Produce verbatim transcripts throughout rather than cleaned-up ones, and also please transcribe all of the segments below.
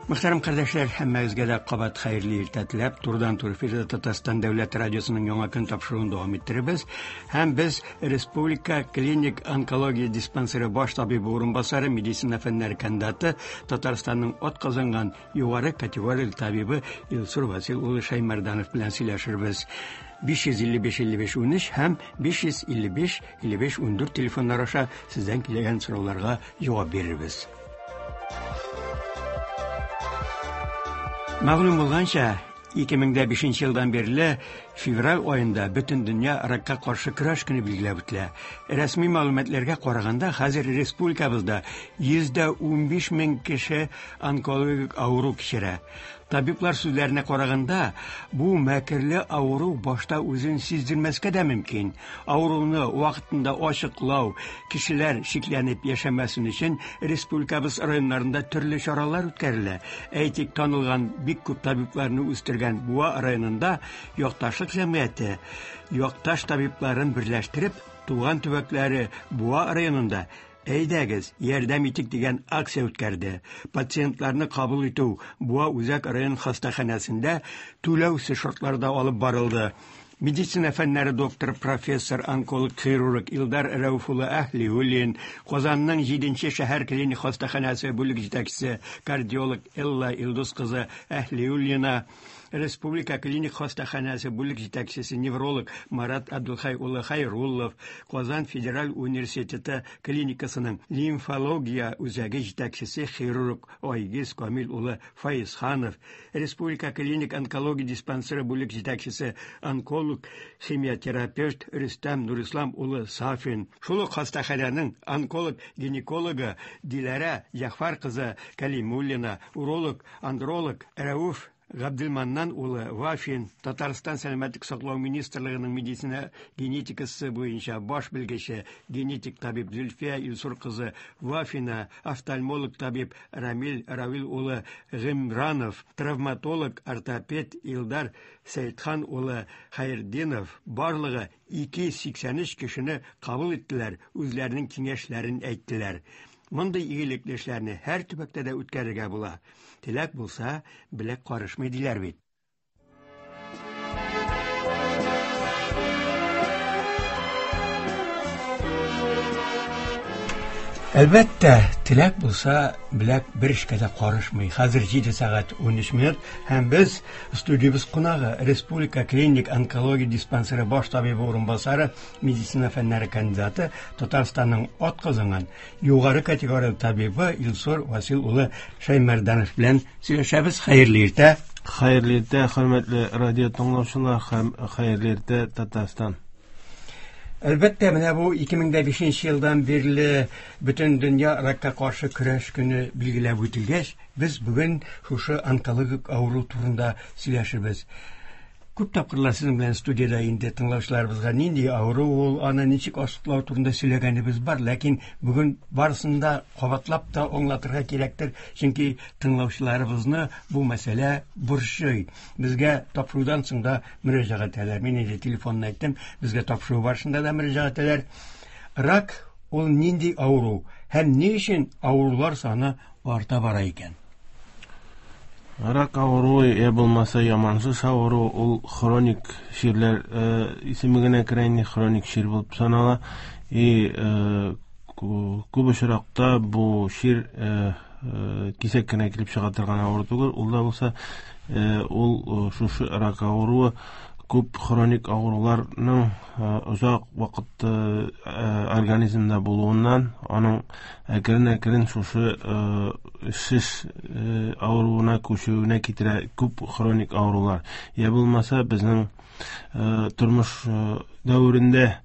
Мөхтәрәм кардәшләр, һәммәгезгә дә кабат хәерле иртә теләп, турыдан-туры эфирда Татарстан дәүләт радиосының яңа көн тапшыруын дәвам иттеребез. Һәм без Республика клиник онкология диспансеры баш табибы урынбасары, медицина фәннәре кандидаты, Татарстанның атказанган югары категорияле табибы Илсур Васил улы Шәймәрданов белән сөйләшербез. биш йөз илле биш илле биш унөч һәм биш йөз илле биш илле биш ундүрт телефоннар аша сездән килгән сорауларга җавап бирербез. Мәгълүм булганча, ике мең дә бишенче елдан бирле февраль аенда бөтен дөнья ракка каршы көрәш көне билгеләп үтелә. Рәсми мәгълүматларга караганда, хәзер республикабызда йөз дә унбиш мең кеше онкологик авыру кичерә. Табиблар сүзләренә караганда, бу мәкерле авыру башта үзен сиздермәскә дә мөмкин. Авыруны вакытында ачыклау, кешеләр шикләнеп яшәмәсен өчен республикабыз районнарында төрле чаралар үткәрелә. Әйтик, танылган бик күп табибларны үстергән Буа районында якташлык җәмгыяте якташ табибларын берләштереп, туган төбәкләре Буа районында Әйдәгез, ярдәм итик дигән акция үткәрде. Пациентларны кабул итү Буа үзәк район хастаханәсендә түләүсез шартларда алып барылды. Медицина фәннәре докторы, профессор, онколог, хирург Илдар Рәүф улы Әһлиуллин, Казанның җиденче шәһәр клиник хастаханәсе бүлек җитәкчесе, кардиолог Элла Илдус кызы Әһлиуллина, Республика клиник хастаханәсе бүлек җитәкчесе, невролог Марат Абдулхай улы Хайруллов, Казан федераль университеты клиникасының лимфология үзәге җитәкчесе, хирург Айгиз Камил улы Файзханов, Республика клиник онкология диспансеры бүлек җитәкчесе, онколог, химиотерапевт Рөстәм Нурислам улы Сафин, шул ук хастаханәнең онколог-гинекологы Диләрә Җәгъфәр кызы Калимуллина, уролог, андролог Рәүф Габделманнан улы Вафин, Татарстан сәламәтлек саклау министрлыгының медицина генетикасы буенча баш белгече, генетик табиб Зөлфия Илсур кызы Вафина, офтальмолог табиб Рамил Равил улы Гыймранов, травматолог, ортопед Илдар Сәйдхан улы Хәйртдинов барлыгы ике йөз сиксән өч кешене кабул иттеләр, үзләренең киңәшләрен әйттеләр. Мондый игелекле эшләрне һәр төбәктә дә үткәрергә була. Теләк булса, беләк карышмый диләр бит. Әлбәттә, теләк булса, беләк бер эшкә дә карышмый. Хәзер җиде сәгать унөч минут һәм без студиябез кунагы Республика клиник онкология диспансеры баш табибы урынбасары, медицина фәннәре кандидаты, Татарстанның атказанган югары категорияле табибы Илсур Васил улы Шәймәрданов белән сөйләшәбез. Хәерле иртә. Хәерле иртә, хөрмәтле радио тыңлаучылар һәм хәерле иртә, Татарстан. Әлбәттә, менә бу ике мең дә бишенче елдан бирле бөтен дөнья ракка каршы көрәш көне билгеләп үтелгәч, без бүген шушы онкологик авыру турында сөйләшербез. Күп тапкырлар сезнең белән студиядә инде тыңлаучыларыбызга нинди авыру ул, аны ничек ачыклау турында сөйләгәнебез бар, ләкин бүген барысын да кабатлап та аңлатырга кирәктер, чөнки тыңлаучыларыбызны бу мәсьәлә борчый. Безгә тапшырудан соң да мөрәҗәгать итәләр. Мин инде телефонны әйттем, безгә тапшыру барышында да мөрәҗәгать итәләр. Рак ул нинди авыру һәм ни өчен авырулар саны арта бара икән? Рак авыруы, я булмаса ямансыз авыру, ул хроник чирләр, э, исеме генә керә инде, хроник чир булып санала. И, э, кү-, күп очракта бу чир, э, э, кисәк кенә килеп чыга торган авыру түгел, ул да булса, э, ул, э, шушы рак авыруы күп хроник авыруларның, э, озак вакыт, э, организмда булуыннан, аның әкрен-әкрен шушы, э, шеш, э, авыруына күчүенә китерә күп хроник авырулар. Я булмаса, безнең, э, тормыш, э, дәверендә,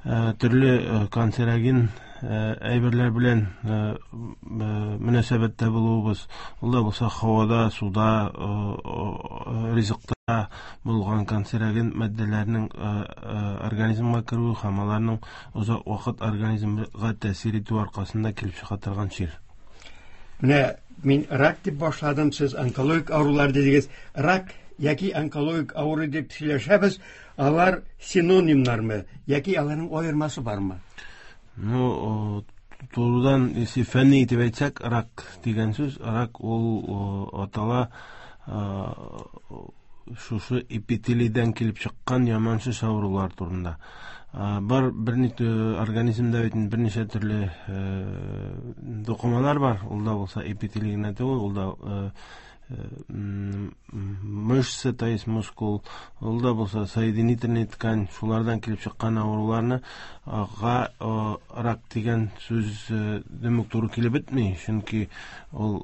э, төрле, э, канцероген, э, әйберләр белән, э, э, мөнәсәбәттә булуыбыз, ул да булса һавада, суда, э, э, ризыкта булган канцероген матдәләрнең, э, э, организмга керүе һәм аларның озак вакыт организмга тәэсир итү аркасында килеп чыга торган чир. Менә мин рак дип башладым, сез онкологик авырулар дидегез. Рак яки онкологик авыру дип сөйләшәбез, алар синонимнармы яки аларның аермасы бармы? Ну, о, Турыдан, если фәнни итеп әйтсәк, рак дигән сүз, рак ул атала шушы эпителийдән килеп чыккан яман шеш авырулар турында. Бар берничә организмда бит берничә төрле докумалар бар. Ул да булса эпителий генә түгел, ул да мышца, то есть мускул, ул да булса соединительный ткань, шулардан килеп чыккан авыруларны га рак дигән сүз демек туры килеп бетми, чөнки ул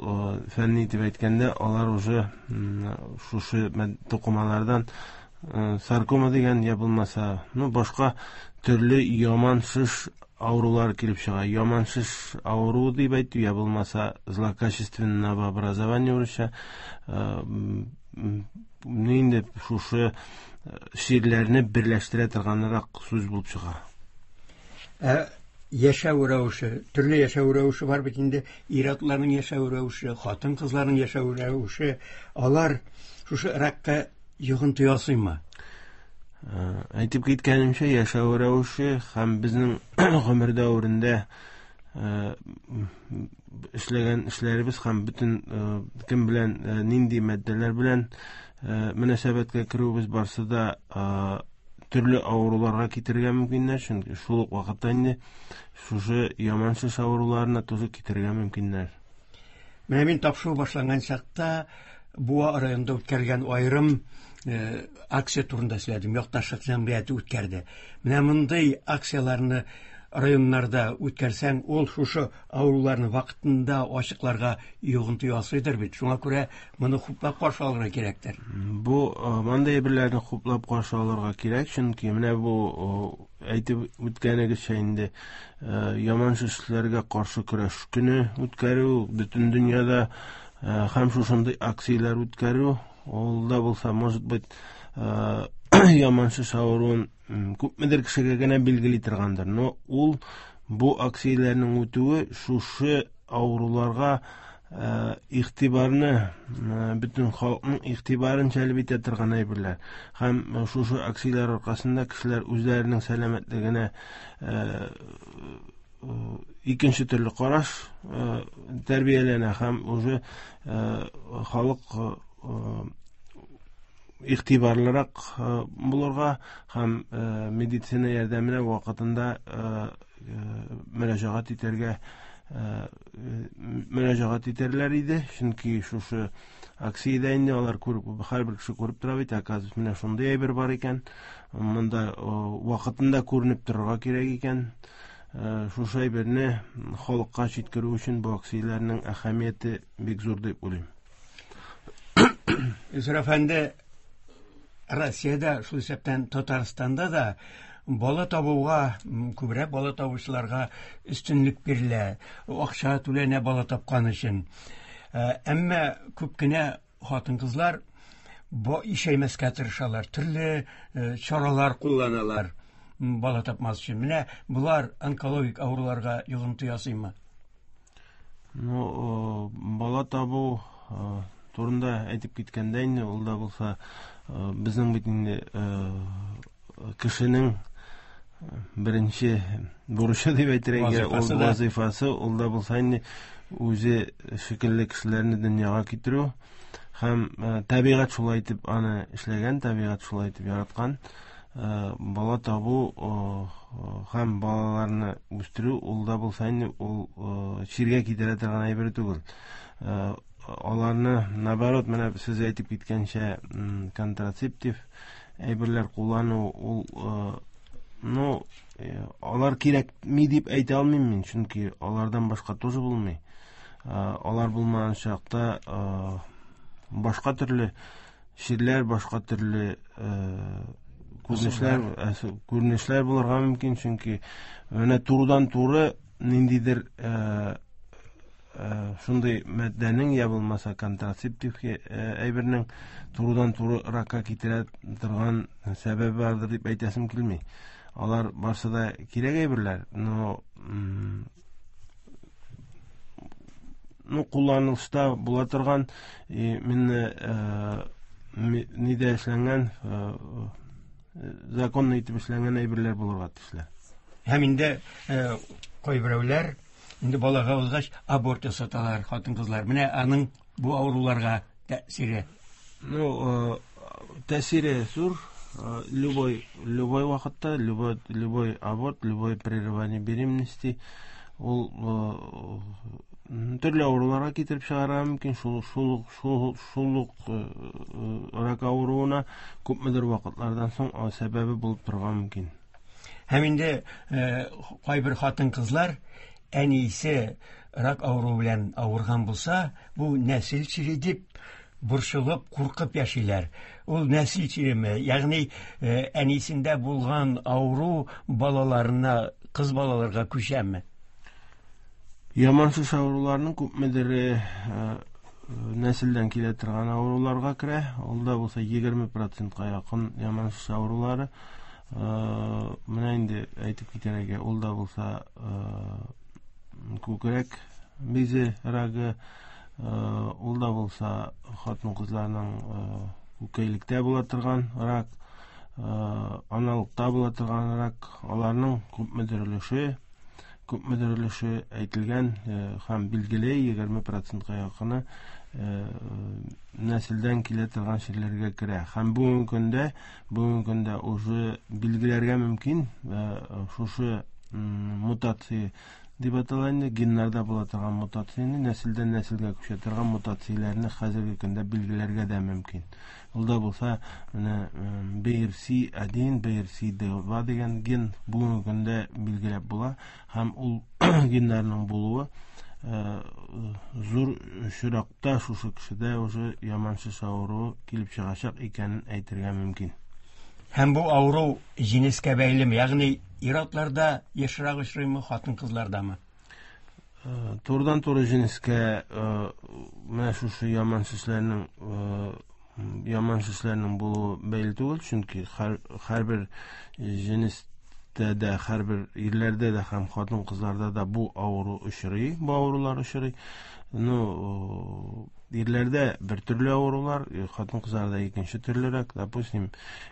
фәнни дип әйткәндә алар уже шушы докумалардан саркома дигән я булмаса, ну башка төрле яман шеш авырулар килеп чыга. Яман шеш авыруы дип әйтү, я булмаса злокачественное новообразование урысча, инде шушы чирләрне берләштерә торганрак сүз булып чыга. Ә яшәү рәвеше, төрле яшәү рәвеше бар бит инде, ир-атларның яшәү рәвеше, хатын-кызларның яшәү рәвеше, алар шушы ракка йогынты ясыймы? Әйтеп киткәнемчә, яшәү рәвеше һәм безнең гомер дәверендә эшләгән эшләребез һәм бөтен кем белән нинди матдәләр белән мөнәсәбәткә керүебез барсы да төрле авыруларга китерергә мөмкиннәр, чөнки шул ук вакытта инде шушы яман шеш авыруларына тоже китерергә мөмкиннәр. Менә мин тапшыру башланган чакта Буа районында үткәрелгән аерым акция турында сөйләдем. Якташлык җәмгыяте үткәрде. Менә мондый акцияләрне районнарда үткәрсәң, ул шушы авыруларны вакытында ачыкларга йогынты ясыйдыр бит. Шуңа күрә моны хуплап каршы алырга кирәктер. Бу мондый әйберләрне хуплап каршы алырга кирәк, чөнки менә бу әйтеп үткәнегезчә инде яман шешләргә каршы көрәш көне үткәрү бөтен дөньяда һәм шушындый акцияләр үткәрү, ул да булса, может быть, яман шеш авыруын күпмедер кешегә генә билгели торгандыр. Но ул бу акцияләрнең үтүе шушы авыруларга игътибарны, бөтен халыкның игътибарын җәлеп итә торган әйберләр. Һәм шушы акцияләр аркасында кешеләр үзләренең сәламәтлегенә икенче төрле караш тәрбияләнә һәм уже халык игътибарлырак булырга һәм медицина ярдәменә вакытында мөрәҗәгать итәргә мөрәҗәгать итәрләр иде, чөнки шушы акциядә инде алар күреп, һәрбер кеше күреп тора бит, оказывается, менә шундый әйбер бар икән, монда вакытында күренеп торырга кирәк икән. Шушы әйберне халыкка җиткерү өчен бу акцияләрнең әһәмияте бик зур дип уйлыйм. Илсур әфәнде, Россиядә, шул исәптән Татарстанда да бала табуга, күбрәк бала табучыларга өстенлек бирелә, акча түләнә бала тапкан өчен. Әмма күп кенә хатын-кызлар ишәймәскә тырышалар, төрле чаралар кулланалар бала тапмас өчен. Менә болар онкологик авыруларга йогынты ясыймы? Ну, бала табу турында әйтеп киткәндә инде, ул да булса безнең бит инде кешенең беренче бурычы дип әйтергә, ул вазифасы, ул да булса инде үзе шикелле кешеләрне дөньяга китерү һәм табигать шулай итеп аны эшләгән, табигать шулай итеп яраткан. Бала табу һәм балаларны үстерү, ул да булса инде ул чиргә китерә торган әйбер түгел. Аларны, наоборот, менә сез әйтеп киткәнчә, контрацептив әйберләр куллану, ул, ну, алар кирәкми дип әйтә алмыйм мин, чөнки алардан башка тоже булмый. Алар булмаган чакта башка төрле чирләр, башка төрле күренешләр, күренешләр булырга мөмкин, чөнки менә турыдан-туры ниндидер шундый матдәнең я булмаса контрацептив әйбернең турыдан-туры ракка китерә торган сәбәбе бардыр дип әйтәсем килми. Алар барсы да кирәк әйберләр, но ну кулланылышта була торган именно нидә эшләнгән, законны итеп эшләнгән әйберләр булырга тиешләр. Һәм инде кайберәүләр Инде балага узгач аборт ясаталар хатын-кызлар. Менә аның бу авыруларга тәэсире. Ну, тәэсире зур. Любой, любой вакытта, любой, любой аборт, любой прерывание беременности ул төрле авыруларга китереп чыгарырга мөмкин. Шул, шул, шул, шул ук рак авыруына күпмедер вакытлардан соң сәбәбе булып торырга мөмкин. Һәм инде кайбер хатын-кызлар әнисе рак авыруы белән авырган булса, бу нәсел чире дип борчылып, куркып яшиләр. Ул нәсел чиреме? Ягъни әнисендә булган авыру балаларына, кыз балаларга күчәме? Яман шеш авыруларының күпмедер нәселдән килә торган авыруларга керә. Ул да булса егерме процентка якын яман шеш авырулары. Менә инде әйтеп китәргә, ул да булса күкрәк бизе рагы, ул да булса хатын-кызларның күкәйлектә була торган рак, аналыкта була торган рак, аларның күпмедер өлеше, күпмедер өлеше әйтелгән һәм билгеле егерме процентка якыны нәселдән килә торган чирләргә керә. Һәм бүгенге көндә, бүгенге көндә уже билгеләргә мөмкин шушы мутация дип атала инде, геннарда була торган мутацияне, нәселдән нәселгә күчә торган мутацияләрне хәзерге көндә билгеләргә дә мөмкин. Ул да булса менә Б Р С один, Б Р С два дигән ген бүгенге көндә билгеләп була һәм ул геннарның булуы зур очракта шушы кешедә уже яман шеш авыруы килеп чыгачак икәнен әйтергә мөмкин. Һәм бу авыру җенескә бәйлеме? Ягъни ир-атларда ешрак очрыймы, хатын-кызлардамы? Турыдан-туры җенескә менә шушы яман шешләрнең, яман шешләрнең булуы бәйле түгел, чөнки һәрбер җенестә дә, һәрбер ирләрдә дә һәм хатын-кызларда да бу авыру очрый, бу авырулар очрый. Ну, ирләрдә бер төрле авырулар, хатын-кызларда икенче төрлерәк. Допустим,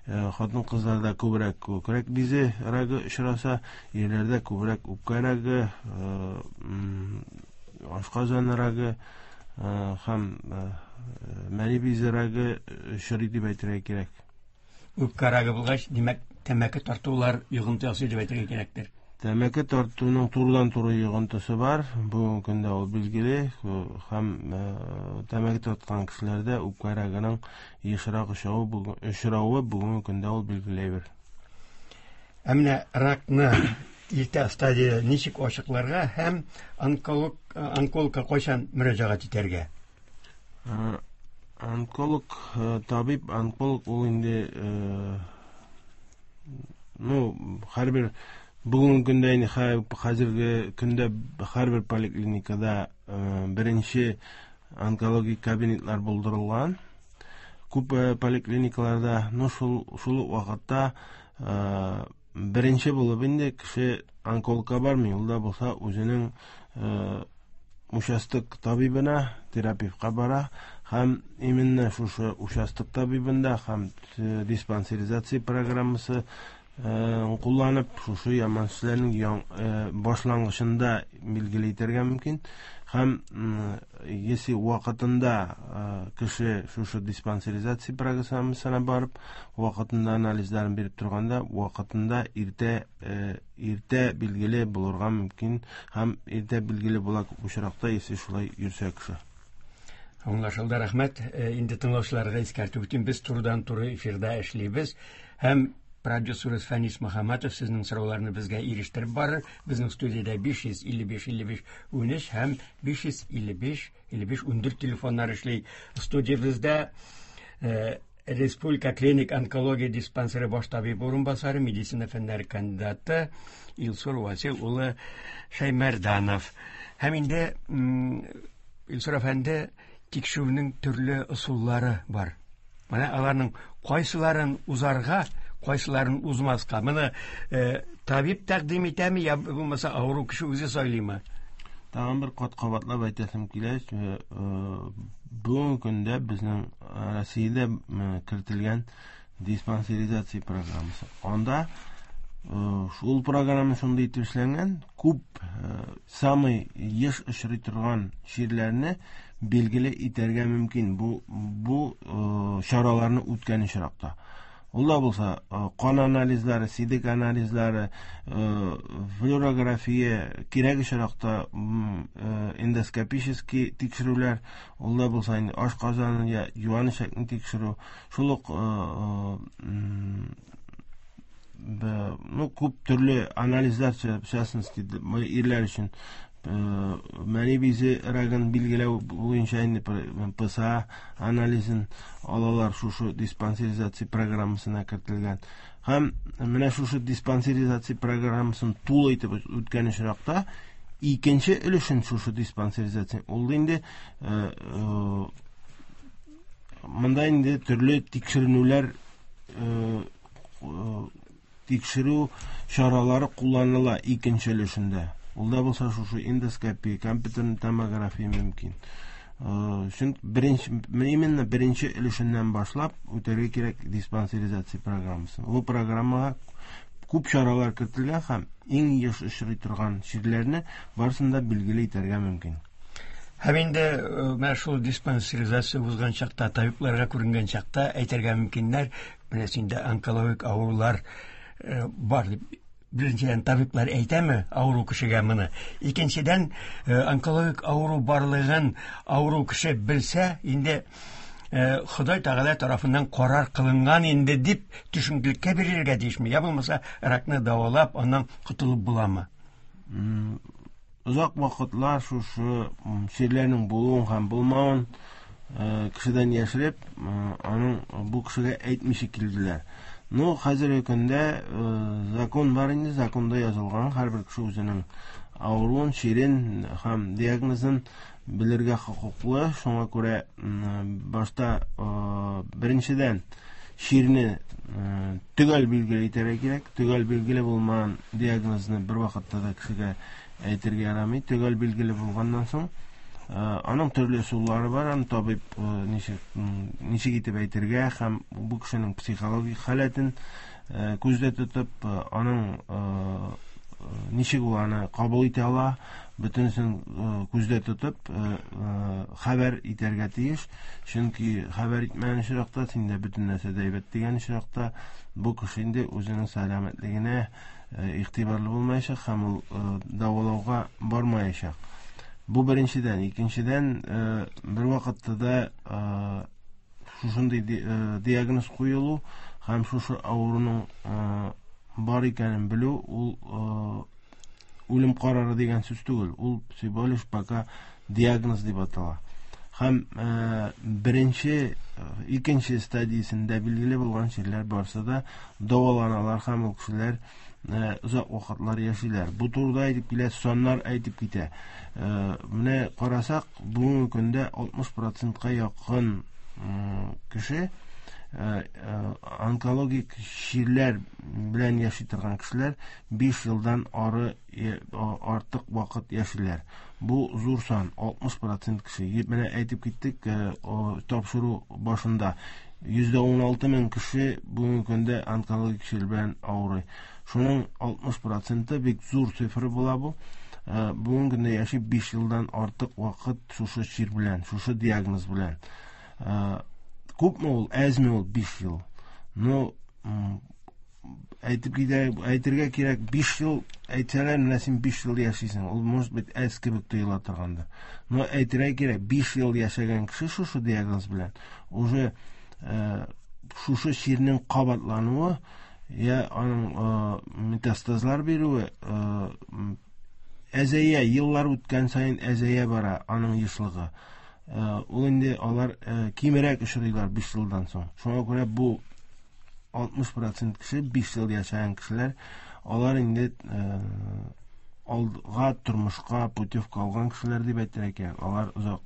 хатын-кызларда күбрәк күкрәк бизе рагы очраса, ирләрдә күбрәк үпкә рагы, ашказаны рагы һәм мәни бизе рагы очрый дип әйтергә кирәк. Үпкә рагы булгач, димәк, тәмәке тартулар йогынты ясый дип әйтергә кирәктер. Тәмәке тартуның турыдан-туры йогынтысы бар. Бүгенге көндә ул билгеле һәм тәмәке тарткан кешеләрдә үпкә рагының ешрак очравы бүгенге көндә ул билгеле бер. Ә менә ракны иртә стадия ничек ачыкларга һәм онколог, онкологка кайчан мөрәҗәгать итәргә? Онколог, табиб, онколог ул инде, ну, һәрбер бүгенге көндә инде хәзерге көндә һәрбер поликлиникада беренче онкологик кабинетлар булдырылган. Күп поликлиникаларда, ну, шул, шул ук вакытта беренче булып инде кеше онкологка бармый, ул да булса үзенең участок табибына, терапевтка бара һәм именно шушы участок табибында һәм диспансеризация программасы кулланып шушы яман шешләрнең башлангычында билгеле итәргә мөмкин. Һәм если вакытында кеше шушы диспансеризация программасына барып, вакытында анализларын биреп торганда, вакытында иртә, иртә билгеле булырга мөмкин һәм иртә билгеле була күп очракта, если шулай йөрсә кеше. Аңлашылды, рәхмәт. Инде тыңлаучыларга искәртеп үтим, без турыдан-туры эфирда эшлибез һәм продюсерыбыз Фәнис Мөхәммәтов сезнең сорауларны безгә ирештереп барыр. Безнең студиядә биш йөз илле биш илле биш унөч һәм биш йөз илле биш илле биш ундүрт телефоннар эшли. Студиябездә, э, Республика клиник онкология диспансеры баш табибы урынбасары, медицина фәннәре кандидаты Илсур Васил улы Шәймәрданов. Һәм инде, м, Илсур әфәнде, тикшерүнең төрле ысуллары бар. Менә аларның кайсыларын узарга, кайсыларын узмаска. Моны, э, табиб тәкъдим итәме, я булмаса авыру кеше үзе сайлыймы? Тагын бер кат кабатлап әйтәсем килә, э, э, бүгенге көндә безнең Россиядә, э, кертелгән диспансеризация программасы. Анда Шул программа шундый итеп эшләнгән, күп самый еш очрый торган чирләрне билгеле итәргә мөмкин бу бу чараларны үткән очракта. Ул да булса кан анализлары, сидек анализлары, флюорография, кирәк очракта эндоскопический тикшерүләр, ул да булса инде ашказанын я юан эчәкне тикшерү, шул ук ну күп төрле анализлар, в частности, ирләр өчен мәни бизе рагын билгеләү буенча инде П С А анализын алалар, шушы диспансеризация программасына кертелгән. Һәм менә шушы диспансеризация программасын тулы итеп үткән очракта икенче өлешен шушы диспансеризация ул инде монда инде төрле тикшеренүләр, тикшерү чаралары кулланыла икенче өлешендә. Ул да булса шушы эндоскопия, компьютерный томография мөмкин. Чөнки беренче, именно беренче өлешеннән башлап үтәргә кирәк диспансеризация программасын. Бу программага күп чаралар кертелгән һәм иң еш очрый торган чирләрне барысын да билгеле итәргә мөмкин. Һәм инде менә шул диспансеризация узган чакта, табибларга күренгән чакта әйтергә мөмкиннәр, менә синдә онкологик авырулар бар дип. Беренчедән, табиблар әйтәме авыру кешегә моны? Икенчедән, онкологик авыру барлыгын авыру кеше белсә, инде Ходай Тәгалә тарафыннан карар кылынган инде дип төшенкелеккә бирергә тиешме? Я булмаса, ракны дәвалап, аннан котылып буламы? Озак вакытлар шушы чирләрнең булуын һәм булмавын кешедән яшереп, аның бу кешегә әйтмичә килделәр. Ну, хәзерге көндә закон бар инде, законда язылган, һәрбер кеше үзенең авыруын, чирен һәм диагнозын белергә хокуклы. Шуңа күрә башта беренчедән чирне төгәл билгеле итәргә кирәк. Төгәл билгеле булмаган диагнозны бер вакытта да кешегә әйтергә ярамый. Төгәл билгеле булганнан соң аның төрле ысуллары бар, аны табиб ничек, ничек итеп әйтергә һәм бу кешенең психологик халәтен күздә тотып, аның ничек ул аны кабул итә ала, бөтенесен күздә тотып хәбәр итәргә тиеш. Чөнки хәбәр итмәгән очракта, синдә бөтен нәрсә дә әйбәт дигән очракта, бу кеше инде үзенең сәламәтлегенә игътибарлы булмаячак һәм ул дәвалауга бармаячак. Бу беренчедән. Икенчедән, бер вакытта да шушындый диагноз куелу һәм шушы авыруның бар икәнен белү ул үлем карары дигән сүз түгел. Ул всего лишь пока диагноз дип атала. Һәм беренче, икенче стадиясендә билгеле булган чирләр барса да дәваланалар һәм ул кешеләр озак вакытлар яшиләр. Бу турыда әйтеп килә, саннар әйтеп китә. Менә карасак, бүгенге көндә алтмыш процентка якын кеше онкологик чирләр белән яши торган кешеләр биш елдан ары артык вакыт яшиләр. Бу зур сан, алтмыш процент кеше. Менә әйтеп киттек тапшыру башында, йөз дә ун алты мең кеше бүгенге көндә онкологик чир белән авырый. Шуның алтмыш проценты бик зур цифра була бу. Бүгенге көндә яши биш елдан артык вакыт шушы чир белән, шушы диагноз белән. Күпме ул, әзме ул биш ел? Ну, әйтеп китә, әйтергә кирәк, биш ел әйтсәләр, менә син биш ел яшисең. Ул, может быть, әз кебек тоела торгандыр. Но әйтергә кирәк, биш ел яшәгән кеше шушы диагноз белән уже шушы чирнең кабатлануы я аның метастазлар бирүе әзәя, еллар үткән саен әзәя бара аның ешлыгы. Ул инде алар кимерәк очрыйлар биш елдан соң. Шуңа күрә бу алтмыш процент кеше, биш ел яшәгән кешеләр, алар инде алга тормышка путевка алган кешеләр дип әйтергә кирәк. Алар озак,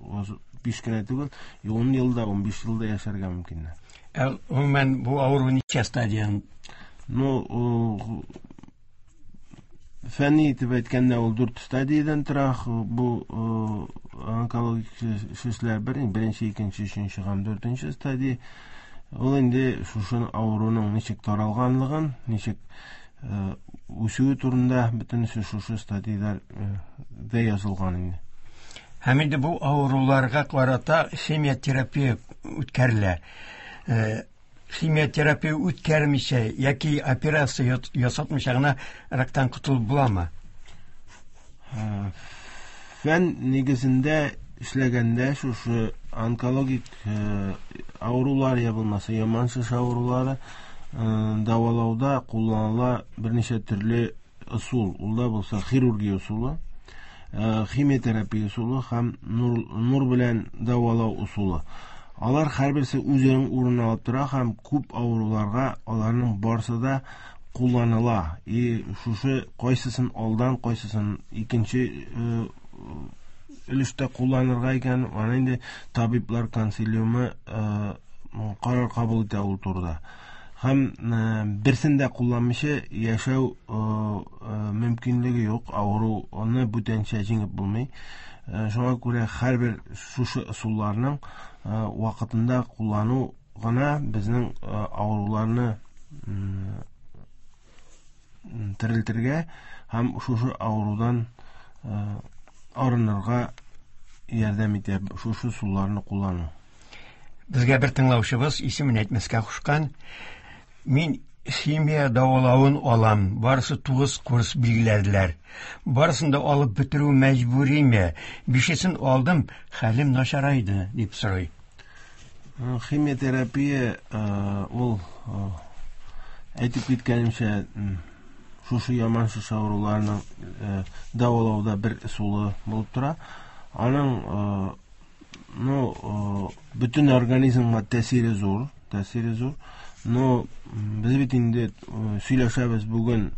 биш кенә түгел, ун елда, ун биш елда яшәргә мөмкиннәр. Ә гомумән бу авыру ничә стадиян? Ну, фәнни итеп әйткәндә ул дүрт стадиядан тора. Бу онкологик шешләр бер, беренче, икенче, өченче һәм дүртенче стадия. Ул инде шушы авыруның ничек таралганлыгын, ничек үсүе турында бөтенесе шушы статьяларда язылган инде. Һәм инде бу авыруларга карата химиотерапия үткәрелә. Химиотерапия үткәрмичә яки операция ясатмыйча гына рактан котылып буламы? Фән нигезендә эшләгәндә шушы онкологик авырулар я булмаса яман шеш авырулары дәвалауда кулланыла берничә төрле ысул. Ул да булса хирургия ысулы, химиотерапия ысулы һәм нур, нур белән дәвалау ысулы. Алар һәрберсе үзенең урынын алып тора һәм күп авыруларга аларның барысы да кулланыла. И шушы кайсысын алдан, кайсысын икенче өлештә кулланырга икән, аны инде табиблар консилиумы карар кабул итә ул турыда. Һәм берсен дә кулланмыйча яшәү мөмкинлеге юк, авыруны бүтәнчә җиңеп булмый. Шуңа күрә һәрбер шушы ысулларның вакытында куллану гына безнең авыруларны терелтергә һәм шушы авырудан арынырга ярдәм итә шушы ысулларны куллану. Безгә бер тыңлаучыбыз исемен әйтмәскә кушкан. Мин химия дәвалавын алам. Барысы тугыз курс билгеләделәр. Барысын да алып бетерү мәҗбүриме? Бишесен алдым, хәлем начарайды, дип сорый. Химиотерапия ул әйтеп киткәнемчә шушы яман шеш авыруларының дәвалауда бер ысулы булып тора. Аның ну бөтен организмга тәэсире зур, тәэсире зур. Но без бит инде сөйләшәбез бүген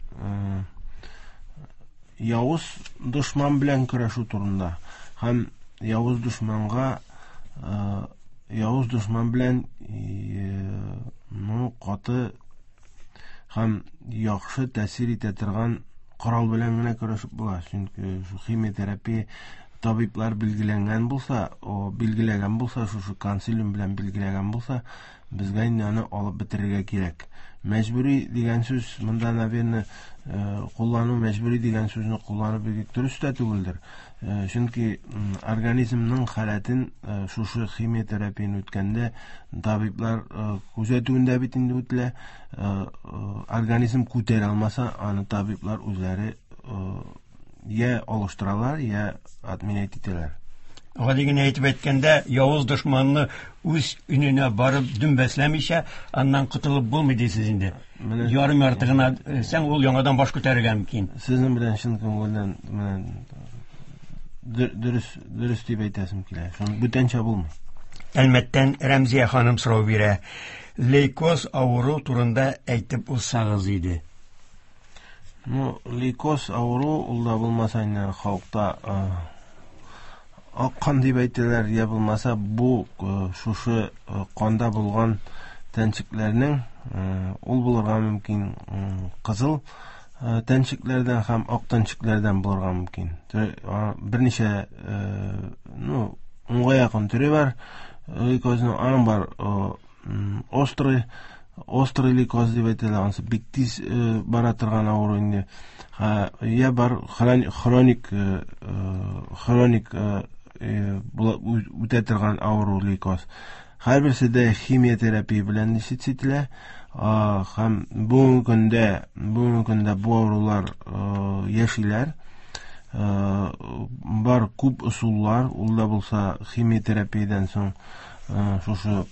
явыз дошман белән көрәшү турында. Һәм явыз дошманга явыз дошман белән ну каты һәм яхшы тәэсир итә торган корал белән генә көрәшеп була. Чөнки химиотерапия табиблар билгеләнгән булса, о билгеләгән булса, шушы консилиум белән билгеләгән булса, безгә инде аны алып бетерергә кирәк. Мәҗбүри дигән сүз монда, наверное, куллану мәҗбүри дигән сүзне кулланып бик дөрес тә түгелдер. Чөнки организмның халәтен шушы химиотерапияне үткәндә табиблар күзәтүендә бит инде үтелә. Организм күтәрә алмаса, аны табиблар үзләре я алыштыралар, я отменять итәләр. Гади генә әйтеп әйткәндә, явыз дошманны үз өненә барып дөмбәсләмичә, аннан котылып булмый дисез инде. Ярым ярты гына сәң ул яңадан баш күтәрергә мөмкин. Сезнең белән чын күңелдән менә дөрес дөрес дип әйтәсем килә. Шуны бүтәнчә булмый. Әлмәттән Рәмзия ханым сорау бирә. Лейкоз авыру турында әйтеп узсагыз иде. Ну, лейкоз авыру ул да булмаса инде халыкта ак кан дип әйтәләр, я булмаса бу шушы канда булган тәнчекләрнең ул булырга мөмкин кызыл тәнчекләрдән һәм ак тәнчекләрдән булырга мөмкин. Берничә, ну, унга якын төре бар. Лейкозның аның бар острый острый лейкоз дип әйтәләр, анысы бик тиз бара торган авыру инде. Я бар хроник хроник үтә торган авыру лейкоз. Һәрберсе дә химиотерапия белән лечить ителә. Һәм бүгенге көндә, бүгенге көндә бу авырулар яшиләр. Бар күп ысуллар, ул да булса химиотерапиядән соң шушы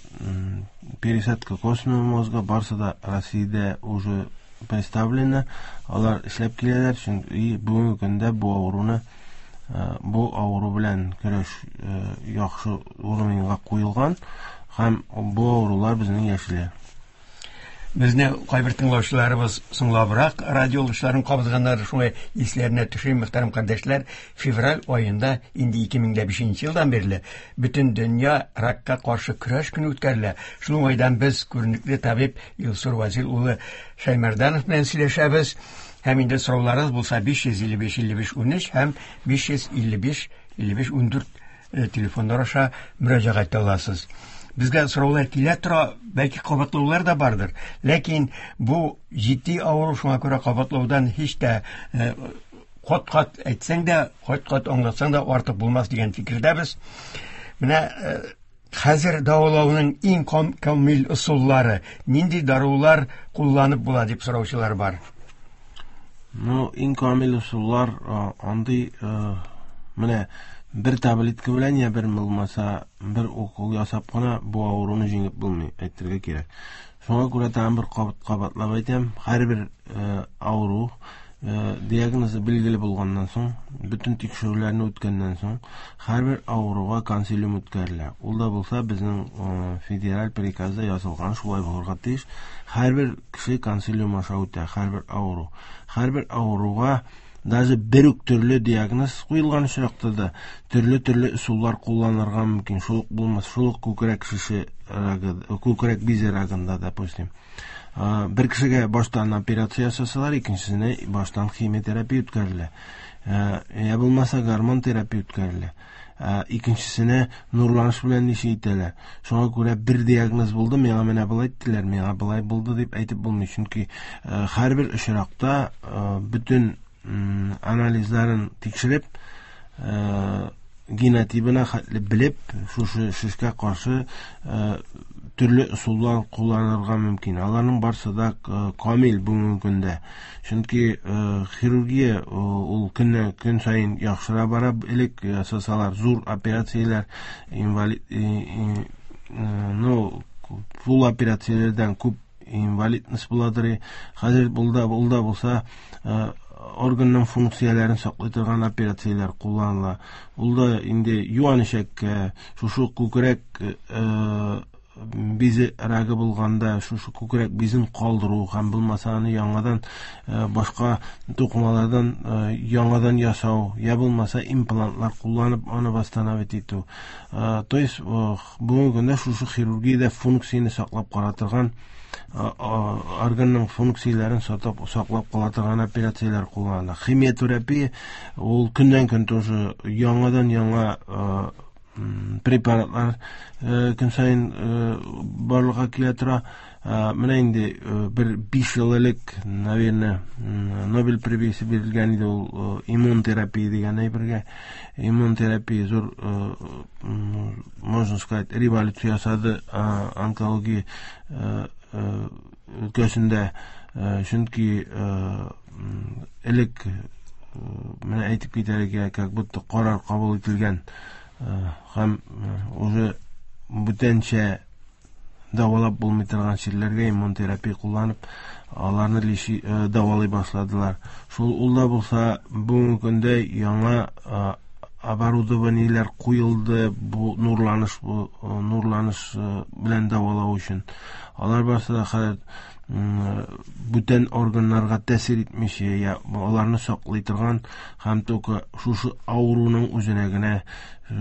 пересадка костного мозга барсы да Россиядә уже представлено. Алар эшләп киләләр, чөнки бүгенге көндә бу авыруны бу авыру белән көрәш яхшы урынга куелган һәм бу авырулар безнең яшиләр. Безне кайбер тыңлаучыларыбыз соңлабрак радиолышларын кабызганнар, шулай исләренә төшерим, мөхтәрәм кардәшләр, февраль аенда инде ике мең дә бишенче елдан бирле бөтен дөнья ракка каршы көрәш көне үткәрелә. Шул уңайдан без күренекле табиб Илсур Вазил улы Шәймәрданов белән сөйләшәбез. Һәм инде сорауларыгыз булса биш йөз илле биш илле биш унөч һәм биш йөз илле биш илле биш ундүрт телефоннар аша мөрәҗәгать итә аласыз. Безгә сораулар килә тора, бәлки кабатлаулар да бардыр. Ләкин бу җитди авыру, шуңа күрә кабатлаудан һич тә кат-кат әйтсәң дә, кат-кат аңлатсаң да артык булмас дигән фикердәбез. Менә хәзер дәвалауның иң камил ысуллары, нинди дарулар кулланып була дип сораучылар бар. Ну, иң камил ысуллар андый менә бер таблетка белән я бер булмаса бер укол ясап кына бу авыруны җиңеп булмый, әйтергә кирәк. Шуңа күрә тагын бер кабатлап әйтәм, һәрбер авыру диагнозы билгеле булганнан соң, бөтен тикшерүләрне үткәннән соң, һәрбер авыруга консилиум үткәрелә. Ул да булса безнең федераль приказда язылган, шулай булырга тиеш. Һәрбер кеше консилиум аша үтә, һәрбер авыру. Һәрбер авыруга даже бер үк төрле диагноз куелган очракта да төрле-төрле ысуллар кулланырга мөмкин. Шул ук булмас, шул ук күкрәк шеше рагы, күкрәк бизе рагында, допустим. Бер кешегә баштан операция ясасалар, икенчесенә баштан химиотерапия үткәрелә. Я булмаса гормон терапия үткәрелә. Икенчесенә нурланыш белән ничә итәләр. Шуңа күрә бер диагноз булды, миңа менә болай әйттеләр, миңа болай булды дип әйтеп булмый. Чөнки һәрбер очракта бөтен анализларын тикшереп, генотибына хәтле белеп, шушы шешкә каршы төрле ысуллар кулланырга мөмкин. Аларның барсы да камил бүгенге көндә. Чөнки хирургия ул көннән көн саен яхшыра бара. Элек ясасалар зур операцияләр, инвалид, ну, фул операцияләрдән күп инвалидность буладыр. Хәзер булда, булда булса органның функцияләрен саклый торган операцияләр кулланыла. Ул да инде юан эчәккә, шушы күкрәк бизе рагы булганда, шушы күкрәк бизен калдыру һәм булмаса аны яңадан башка тукымалардан яңадан ясау, я булмаса имплантлар кулланып аны восстановить итү. То есть бүгенге көндә шушы хирургиядә функцияне саклап кала торган, органның функцияләрен сатып саклап кала торган операцияләр кулланыла. Химиотерапия ул көннән көн тоже яңадан яңа препаратлар көн саен барлыкка килә тора. Менә инде бер биш ел элек, наверное, Нобель премиясе бирелгән иде ул иммун терапия дигән әйбергә. Иммун терапия зур, можно сказать, революция ясады онкология өлкәсендә. Чөнки элек менә әйтеп китәргә, как будто карар кабул ителгән һәм уже бүтәнчә дәвалап булмый торган чирләргә иммун терапия кулланып, аларны лиши дәвалый башладылар. Шул ул да булса бүгенге көндә яңа оборудованиеләр куелды бу нурланыш, бу нурланыш белән дәвалау өчен. Алар барысы да хәзер бүтән органнарга тәэсир итмичә, я аларны саклый торган һәм только шушы авыруның үзенә генә,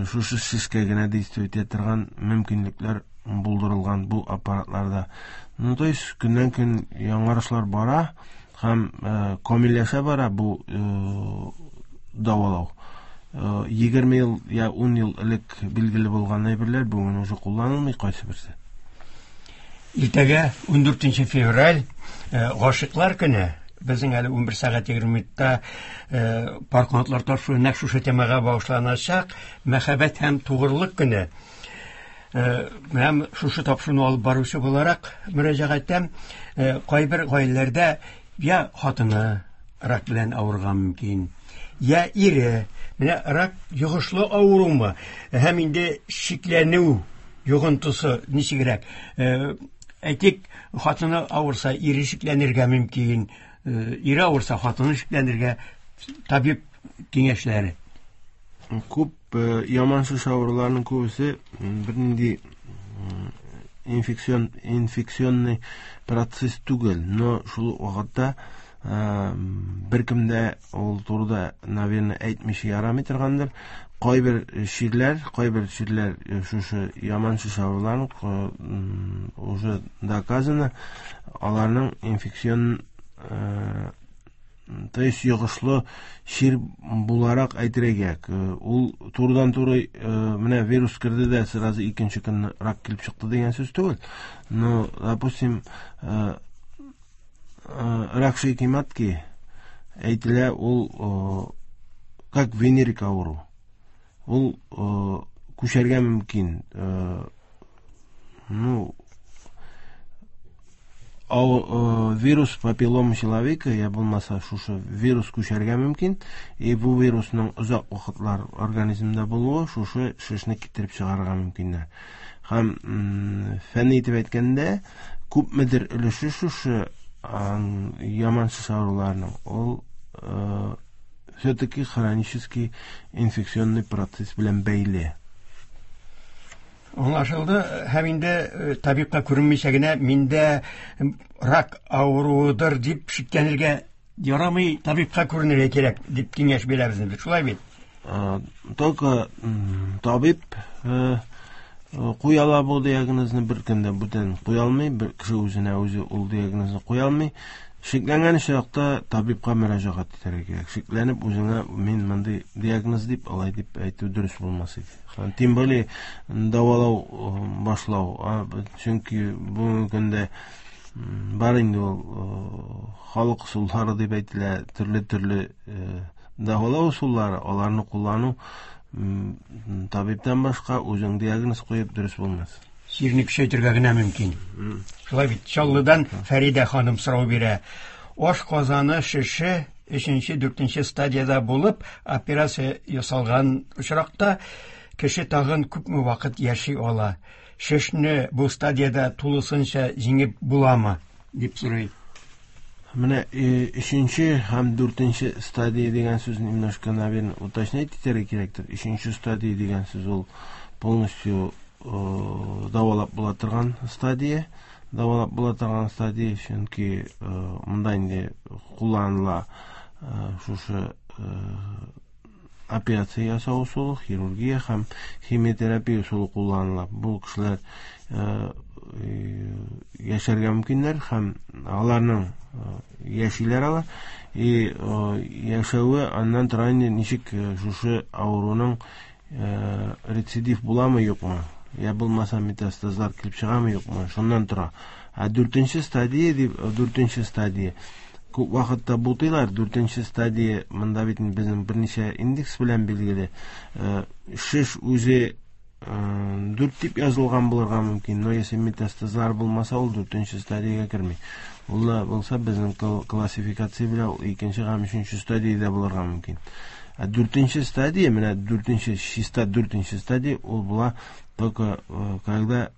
шушы шешкә генә действовать итә торган мөмкинлекләр булдырылган бу аппаратларда. Ну, то есть көннән көн яңарышлар бара һәм камилләшә бара бу дәвалау. Егерме ел я ун ел элек билгеле булган әйберләр бүген уже кулланылмый кайсы берсе. Иртәгә ундүртенче февраль, гашыйклар көне. Безнең әле унбер сәгать егерме минутта пар канатлар тапшыруы нәкъ шушы темага багышланачак. Мәхәббәт һәм тугрылык көне. Менә шушы тапшыруны алып баручы буларак мөрәҗәгать итәм. Кайбер гаиләләрдә я хатыны рак белән авырган мөмкин, я ире. Менә рак йогышлы авырумы? Һәм инде шикләнү йогынтысы ничегрәк? Әйтик, хатыны авырса, ире шикләнергә мөмкин, ире авырса, хатыны шикләнергә, табиб киңәшләре. Күп яман шеш авыруларының күбесе бернинди инфекцион, инфекционный процесс түгел, но шул ук вакытта беркем дә ул турыда, наверное, әйтмичә ярамый торгандыр. Кайбер чирләр, кайбер чирләр шушы яман шеш авыруларының уже доказано, аларның инфекцион То есть йогышлы чир буларак әйтергә кирәк. Ул турыдан-туры менә вирус керде дә сразу икенче көнне рак килеп чыкты дигән сүз түгел. Но, допустим, рак шейки матки әйтелә, ул как венерик авыру. Ул күчәргә мөмкин. Ну, вирус папиллома человека, я булмаса шушы вирус күчәргә мөмкин, и бу вирусның озак вакытлар организмда булуы шушы шешне китереп чыгарырга мөмкиннәр. Һәм фәнни итеп әйткәндә, күпмедер өлеше шушы яман шеш авыруларының ул все-таки хронический инфекционный процесс белән бәйле. Аңлашылды. Һәм инде табибка күренмичә генә миндә рак авыруыдыр дип шикләнергә ярамый, табибка күренергә кирәк дип киңәш бирәбез инде. Шулай бит? Только табиб куя ала бу диагнозны, беркем дә бүтән куя алмый, бер кеше үзенә үзе ул диагнозны куя алмый. Шикләнгән очракта табибка мөрәҗәгать итәргә кирәк. Шикләнеп үзеңә мин мондый диагноз дип, алай дип әйтү дөрес булмас иде. Һәм тем более дәвалау башлау, чөнки бүгенге көндә бар инде ул халык ысуллары дип әйтелә, төрле-төрле дәвалау ысуллары, аларны куллану табибтан башка үзең диагноз куеп дөрес булмас. Чирне көчәйтергә генә мөмкин. Шулай бит. Чаллыдан Фәридә ханым сорау бирә. Аш казаны шеше өченче, дүртенче стадияда булып, операция ясалган очракта кеше тагын күпме вакыт яши ала? Шешне бу стадияда тулысынча җиңеп буламы дип сорый. Менә өченче һәм дүртенче стадия дигән сүзне немножко, наверное, уточнять итәргә кирәктер. Өченче стадия дигән сүз ул полностью дәвалап була торган стадия. Дәвалап була торган стадия, чөнки монда инде кулланыла шушы операция ясау ысулы, хирургия һәм химиотерапия ысулы кулланыла. Бу кешеләр яшәргә мөмкиннәр һәм аларның яшиләр алар. И яшәве аннан тора инде ничек шушы авыруның рецидив буламы, юкмы, я булмаса метастазлар килеп чыгамы, юкмы, шуннан тора. Ә дүртенче стадия дип, дүртенче стадия күп вакытта бутыйлар. Дүртенче стадия монда бит безнең берничә индекс белән билгеле. Шеш үзе дүрт дип язылган булырга мөмкин, но если метастазлар булмаса, ул дүртенче стадиягә керми. Ул булса безнең классификация белән ул икенче һәм өченче стадиядә булырга мөмкин. Ә дүртенче стадия, менә дүртенче, чиста дүртенче стадия, ул була только когда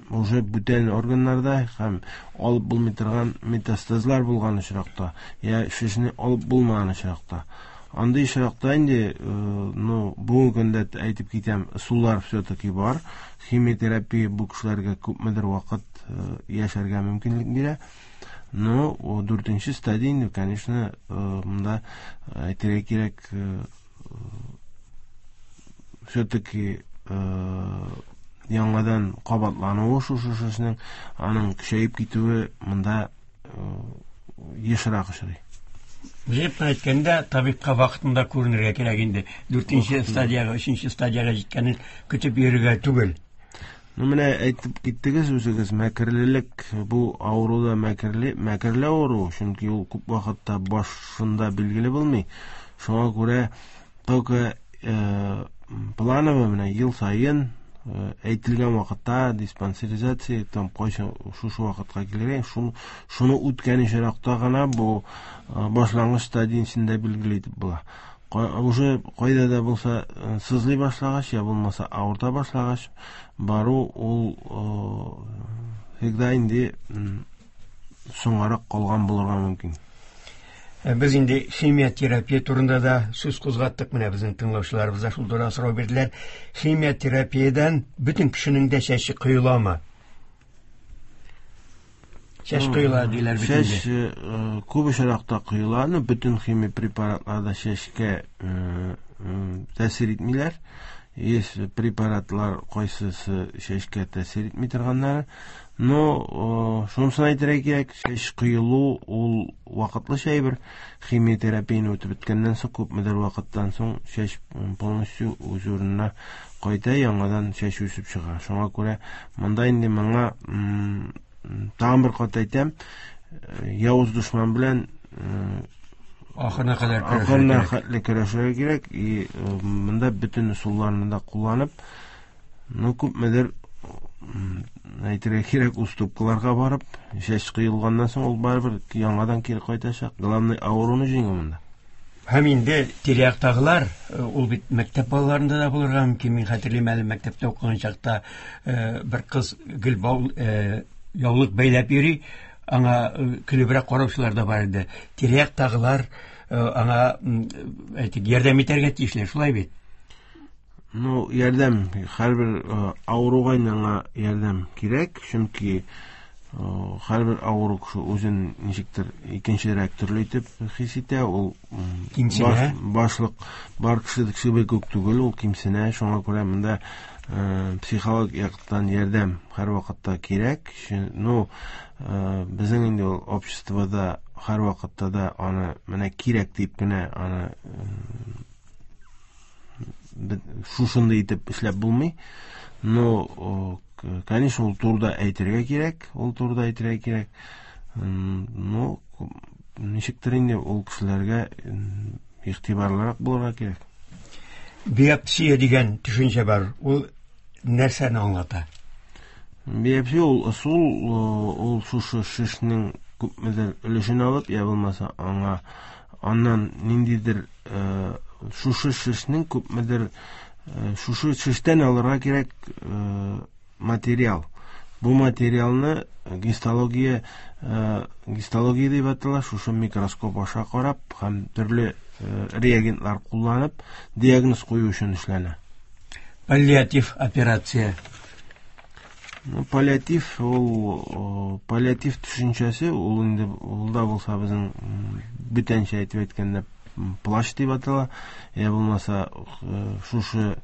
уже бүтән органнарда һәм алып булмый торган метастазлар булган очракта, я шешне алып булмаган очракта. Андый очракта инде, ну, бүгенге көндә әйтеп китәм, ысуллар все-таки бар. Химиотерапия бу кешеләргә күпмедер вакыт яшәргә мөмкинлек бирә. Но дүртенче стадия инде, конечно, монда әйтергә кирәк, все-таки яңадан кабатлануы шушы шешнең, аның көчәеп китүе монда ешрак очрый. Җыеп әйткәндә, табибка вакытында күренергә кирәк инде. Дүртенче стадиягә, өченче стадиягә җиткәнен көтеп йөрергә түгел. Ну, менә әйтеп киттегез үзегез, мәкерлелек бу авыруда мәкерле, мәкерле авыру, чөнки ул күп вакытта башында билгеле булмый. Шуңа күрә только планово менә ел саен әйтелгән вакытта диспансеризация, там кайчан шушы вакытка килгән, шуны, шуны үткән очракта гына бу башлангыч стадиясендә билгеле итеп була. Уже кайда да булса сызлый башлагач, я булмаса авырта башлагач, бару ул всегда инде соңгарак калган булырга мөмкин. Без инде химиотерапия турында да сүз кузгаттык. Менә безнең тыңлаучыларыбыз да шул турыда сорау бирделәр. Химиотерапиядән бөтен кешенең дә чәче коеламы? Чәч коела диләр бит инде. Чәч күп очракта коела, но бөтен химия препаратлар да чәчкә тәэсир итмиләр. Есть препаратлар, кайсысы чәчкә тәэсир итми торганнары. Но шунысын әйтергә кирәк, чәч коелу ул вакытлыча әйбер. Химиотерапияне үтеп беткәннән соң, күпмедер вакыттан соң чәч полностью үз урынына кайта, яңадан чәч үсеп чыга. Шуңа күрә монда инде моңа тагын бер кат әйтәм, явыз дошман белән ахырына кадәр ахырына хәтле көрәшергә кирәк. И монда бөтен ысулларны да кулланып, ну күпмедер әйтергә кирәк, уступкаларга барып, чәч коелганнан соң ул барыбер яңадан кире кайтачак. Главный авыруны җиңү монда. Һәм инде тирә-яктагылар, ул бит мәктәп балаларында да булырга мөмкин. Мин хәтерлим әле, мәктәптә укыган чакта бер кыз гел яулык бәйләп йөри, аңа көлебрәк караучылар да бар иде. Тирә-яктагылар аңа, әйтик, ярдәм итәргә тиешләр, шулай бит? Ну, ярдәм, һәрбер авыруга аңа ярдәм кирәк, чөнки һәрбер авыру кеше үзен ничектер икенчерәк төрле итеп хис итә, ул кимсенә. Башлык бар кеше кебек үк түгел, ул кимсенә. Шуңа күрә монда психологик яктан ярдәм һәрвакытта кирәк. Ну, безнең инде ул обществода һәрвакытта да аны менә кирәк дип кенә аны шушындый итеп эшләп булмый. Но, конечно, ул турыда әйтергә кирәк, ул турыда әйтергә кирәк. Но ничектер инде ул кешеләргә игътибарлырак булырга кирәк. Биопсия дигән төшенчә бар. Ул нәрсәне аңлата? Биопсия ул ысул, ул шушы шешнең күпмедер өлешен алып, я булмаса аңа аннан ниндидер шушы шешнең күпмедер шушы шештән алырга кирәк материал. Бу материалны гистология гистология дип атала, шушы микроскоп аша карап һәм төрле реагентлар кулланып диагноз кую өчен эшләнә. Паллиатив операция. Ну, паллиатив ул паллиатив төшенчәсе ул инде ул да булса безнең бүтәнчә әйтеп әйткәндә плащ дип атала, я булмаса шушы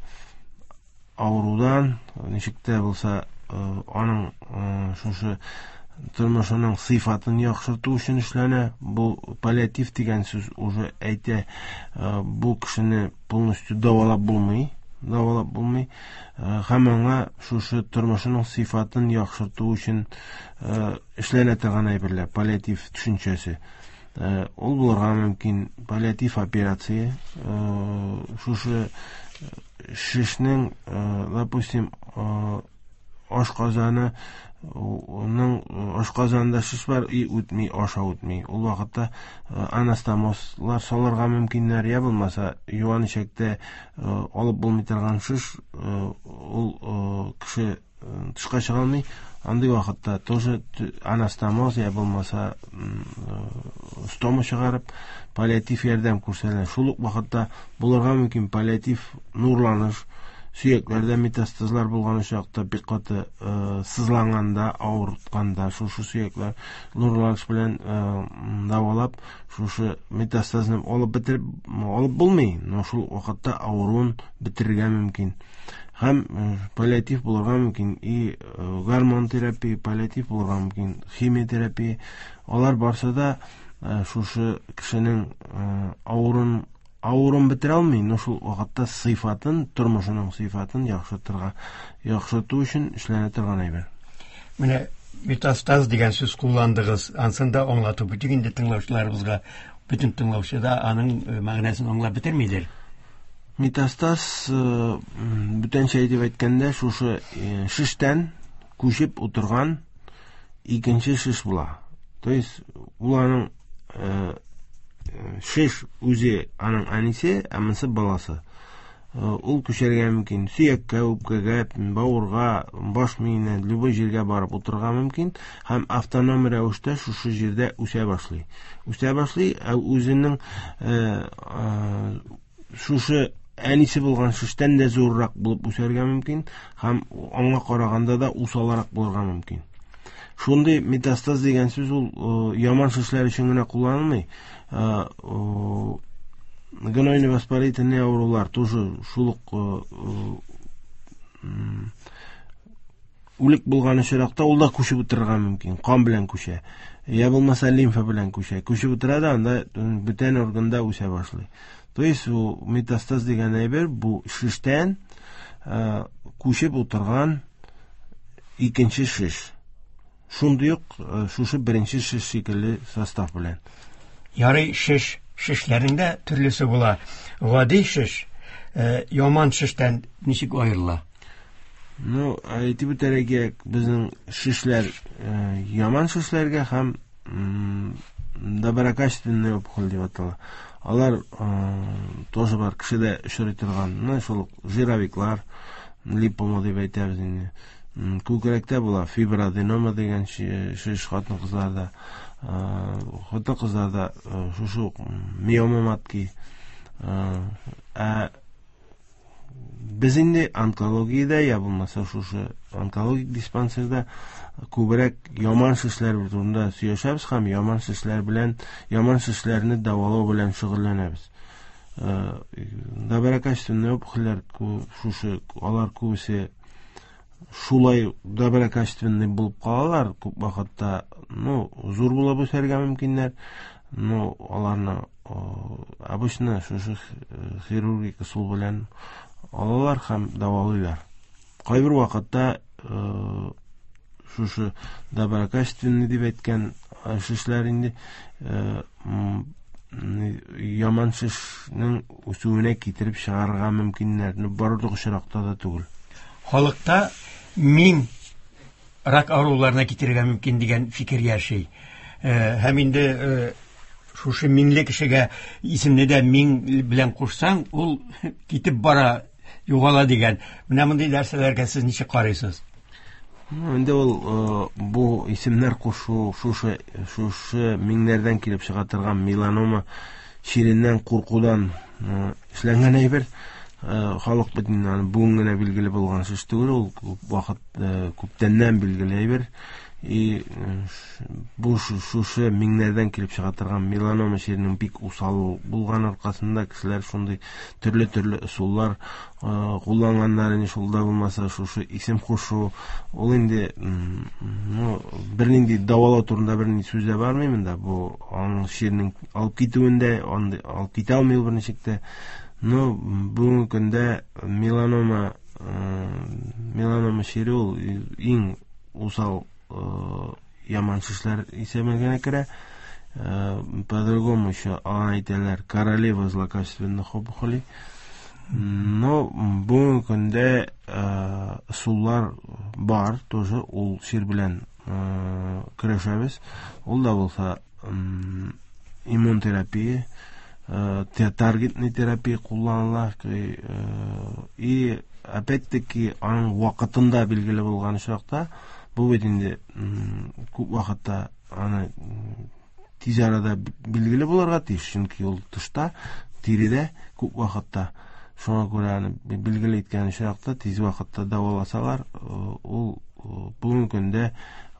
авырудан ничек тә булса аның шушы тормышының сыйфатын яхшырту өчен эшләнә. Бу паллиатив дигән сүз уже әйтә, бу кешене полностью дәвалап булмый, дәвалап булмый. Һәм аңа шушы тормышының сыйфатын яхшырту өчен эшләнә торган әйберләр, паллиатив төшенчәсе. Ул булырга мөмкин паллиатив операция, шушы шешнең, допустим, ашказаны, оның ашказанында шеш бар, и үтми, аша үтми. Ул вакытта анастомозлар салырга мөмкиннәр, я булмаса юан эчәктә алып булмый торган шеш, ул кеше тышка чыга алмый. Андый вакытта тоже анастомоз, я булмаса стома чыгарып паллиатив ярдәм күрсәтелә. Шул ук вакытта булырга мөмкин паллиатив нурланыш, сөякләрдә метастазлар булган очракта бик каты сызланганда, авыртканда шушы сөякләр нурланыш белән дәвалап, шушы метастазны алып бетереп алып булмый, но шул вакытта авыруын бетерергә мөмкин. Һәм паллиатив булырга мөмкин и гормон терапия, паллиатив булырга мөмкин, химиотерапия. Алар барсы да шушы кешенең авыруын авыруын бетерә алмый, но шул вакытта сыйфатын, тормышының сыйфатын яхшыртырга, яхшырту өчен эшләнә торган әйбер. Менә метастаз дигән сүз кулландыгыз. Ансын да аңлатып үтик инде тыңлаучыларыбызга. Бөтен тыңлаучы да аның мәгънәсен аңлап бетермидер. Метастаз, бүтәнчә әйтеп әйткәндә, шушы шештән күчеп утырган икенче шеш була. То есть ул аның шеш үзе аның әнисе, ә монысы баласы. Ул күчәргә мөмкин сөяккә, үпкәгә, бавырга, баш миенә, любой җиргә барып утырырга мөмкин һәм автоном рәвештә шушы җирдә үсә башлый. Үсә башлый, ә үзенең шушы әнисе булган шештән дә зуррак булып үсәргә мөмкин һәм аңа караганда да усалрак булырга мөмкин. Шундый метастаз дигән сүз ул яман шешләр өчен генә кулланылмый. Гнойно-воспалительный авырулар тоже шул ук үлек булган очракта ул да күчеп утырырга мөмкин, кан белән күчә. Я булмаса лимфа белән күчә. Күчеп утыра да анда бүтән органда үсә башлый. То есть ул метастаз дигән әйбер бу шештән күчеп утырган икенче шеш. Шундый ук шушы беренче шеш шикелле состав белән. Ярый, шеш, шешләрнең дә төрлесе була. Гади шеш, яман шештән ничек аерыла? Ну, әйтеп үтәргә кирәк, безнең шешләр яман шешләргә һәм доброкачественный опухоль дип атала. Алар тоже бар, кешедә очрый торган, ну, шул жировиклар, липома дип әйтәбез инде. Күкрәктә була фиброаденома дигән шеш хатын-кызларда, хатын-кызларда шушы миома матки. Ә без инде онкологиядә, я булмаса шушы онкологик диспансерда күбрәк яман шешләр турында сөйләшәбез һәм яман шешләр белән, яман шешләрне дәвалау белән шөгыльләнәбез. Доброкачественный опухольләр шушы, алар күбесе шулай доброкачественный булып калалар, күп вакытта, ну, зур булып үсәргә мөмкиннәр, но аларны обычно шушы хирургик ысул белән алалар һәм дәвалыйлар. Кайбер вакытта шушы доброкачественный дип әйткән шешләр инде яман шешнең үсүенә китереп чыгарырга мөмкиннәр, но барлык очракта да түгел. Халыкта мин рак авыруларына китерергә мөмкин дигән фикер яши. Һәм инде шушы миңле кешегә исемне дә миң белән кушсаң, ул китеп бара, югала дигән. Менә мондый нәрсәләргә сез ничек карыйсыз? Инде ул бу исемнәр кушу шушы, шушы миңнәрдән килеп чыга торган меланома чиреннән куркудан эшләнгән әйбер. Халык бит инде аны бүген генә билгеле булган шеш түгел, ул күп вакыт, күптәннән билгеле әйбер. И бу шушы миңнәрдән килеп чыга торган меланома чиренең бик усал булган аркасында кешеләр шундый төрле-төрле ысуллар кулланганнар инде, шул да булмаса шушы исем кушу, ул инде, ну, бернинди дәвалау турында бернинди сүз дә бармый монда. Бу аның чиренең алып китүендә, андый алып китә алмый ул берничек тә. Но бүгенге көндә меланома, меланома чире ул иң усал яман шешләр исәбенә керә. По-другому еще аңа әйтәләр королева злокачественных опухолей. Но бүгенге көндә ысуллар бар, тоже ул чир белән көрәшәбез. Ул да булса иммунотерапия, таргетный терапия кулланыла. И опять-таки аның вакытында билгеле булган очракта, бу бит инде күп вакытта аны тиз арада билгеле булырга тиеш, чөнки ул тышта, тиредә күп вакытта. Шуңа күрә аны билгеле иткән очракта тиз вакытта дәваласалар, ул бүгенге көндә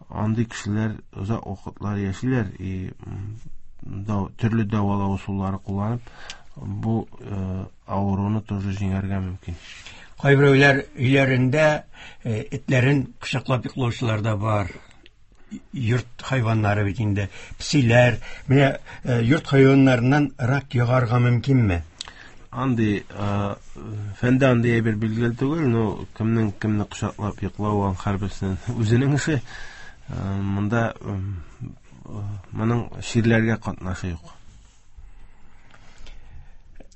андый кешеләр озак вакытлар яшиләр и төрле дәвалау ысуллары кулланып бу авыруны тоже җиңәргә мөмкин. Кайберәүләр өйләрендә этләрен кочаклап йоклаучылар да бар. Йорт хайваннары бит инде, песиләр. Менә йорт хайваннарыннан рак йогарга мөмкинме? Андый фәндә андый әйбер билгеле түгел, но кемнең кемне кочаклап йоклавы аның һәрберсенең үзенең эше. Монда моның чирләргә катнашы юк.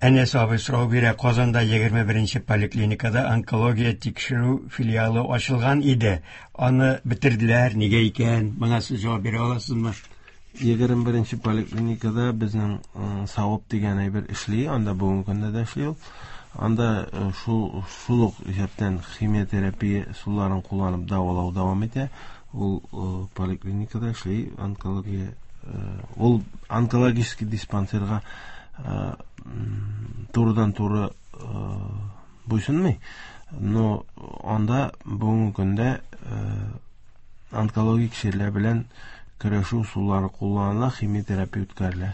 Әнәс абый сорау бирә. Казанда егерме беренче поликлиникада онкология тикшерү филиалы ачылган иде. Аны бетерделәр, нигә икән? Моңа сез җавап бирә аласызмы? Егерме беренче поликлиникада безнең савап дигән әйбер эшли, анда бүгенге көндә дә эшли ул. Анда шул, шул ук исәптән химиотерапия ысулларын кулланып дәвалау дәвам итә. Ул поликлиникада эшли, онкология, ул онкологический диспансерга турыдан-туры буйсынмый, но анда бүгенге көндә онкологик чирләр белән көрәшү ысуллары кулланыла, химиотерапия үткәрелә.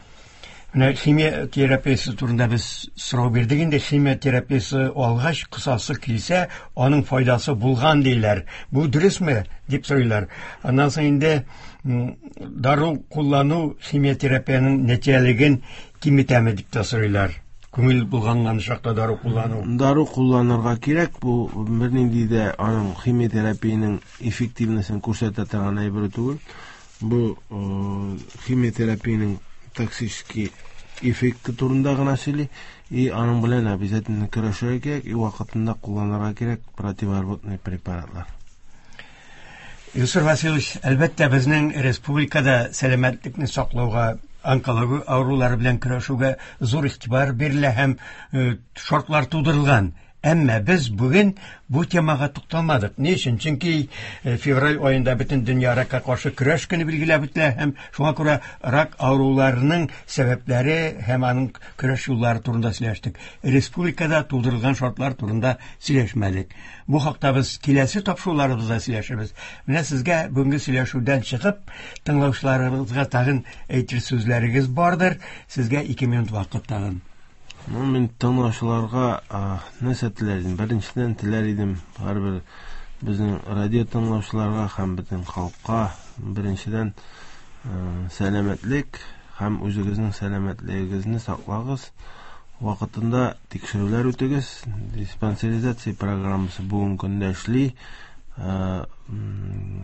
Менә химия терапиясе турында без сорау бирдек инде. Химия терапиясе алгач, кысасы килсә, аның файдасы булган диләр. Бу дөресме дип сорыйлар. Аннан соң инде дару куллану химия терапияның нәтиҗәлеген киметәме дип тә сорыйлар. Күңел булганган чакта дару куллану. Дару кулланырга кирәк, бу бернинди дә аның химия терапияның эффективностен күрсәтә торган әйбер түгел. Бу химия терапияның токсический эффекты турында гына сөйли, и аның белән обязательно көрәшергә кирәк, и вакытында кулланырга кирәк противорвотный препаратлар. Илсур Васильевич, әлбәттә, безнең республикада сәламәтлекне саклауга, онкология авырулары белән көрәшүгә зур игътибар бирелә һәм шартлар тудырылган. Әмма без бүген бу темага тукталмадык. Ни өчен? Чөнки февраль аенда бөтен дөнья ракка каршы көрәш көне билгеләп үтелә һәм шуңа күрә рак авыруларының сәбәпләре һәм аның көрәш юллары турында сөйләштек. Республикада тудырылган шартлар турында сөйләшмәдек. Бу хакта без киләсе тапшыруларыбызда сөйләшербез. Менә сезгә бүгенге сөйләшүдән чыгып, тыңлаучыларыбызга тагын әйтер сүзләрегез бардыр. Сезгә ике минут вакыт тагын. Ну, мин тыңлаучыларга нәрсә теләр идем? Беренчедән теләр идем һәрбер безнең радио тыңлаучыларга һәм бөтен халыкка беренчедән сәламәтлек һәм үзегезнең сәламәтлегегезне саклагыз. Вакытында тикшерүләр үтегез. Диспансеризация программасы бүгенге көндә эшли.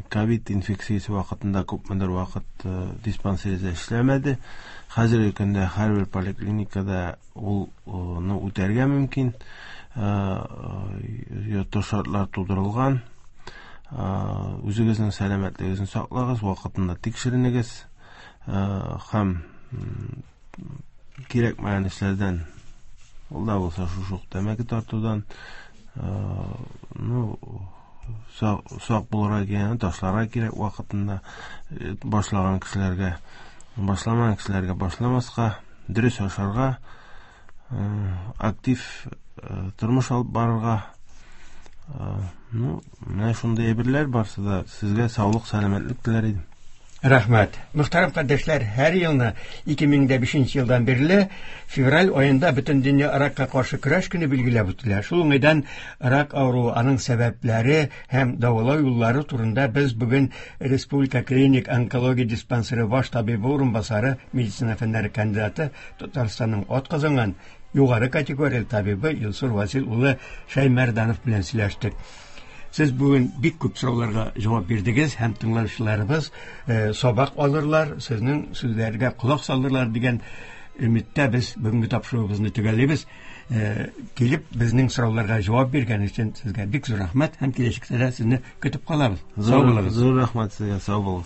Ковид инфекциясе вакытында күпмедер вакыт диспансеризация эшләмәде. Хәзерге көндә һәрбер поликлиникада ул ны үтәргә мөмкин. Йорт шартлар тудырылган. Үзегезнең сәламәтлегегезне саклагыз, вакытында тикшеренегез һәм кирәкмәгән эшләрдән, ул да булса шушы ук тәмәке тартудан, ну, сак булырга кирәк, ташларга кирәк вакытында башлаган кешеләргә, башламаган кешеләргә башламаска, дөрес ашарга, актив тормыш алып барырга. Ну, менә шундый әйберләр барсы да. Сезгә саулык, сәламәтлек теләр идем. Рәхмәт. Мөхтәрәм кардәшләр, һәр елны ике мең дә бишенче елдан бирле февраль аенда бөтен дөнья ракка каршы көрәш көне билгеләп үтелә. Шул уңайдан рак авыруы, аның сәбәпләре һәм дәвалау юллары турында без бүген Республика клиник онкология диспансеры баш табибы урынбасары, медицина фәннәре кандидаты, Татарстанның атказанган югары категорияле табибы Илсур Васил улы Шәймәрданов белән сөйләштек. Сез бүген бик күп сорауларга җавап бирдегез һәм тыңлаучыларыбыз сабак алырлар, сезнең сүзләргә колак салырлар дигән өметтә без бүгенге тапшыруыбызны төгәллибез. Килеп безнең сорауларга җавап биргән өчен сезгә бик зур рәхмәт һәм киләчәктә дә сезне көтеп калабыз. Сау булыгыз. Зур рәхмәт сезгә, сау булыгыз.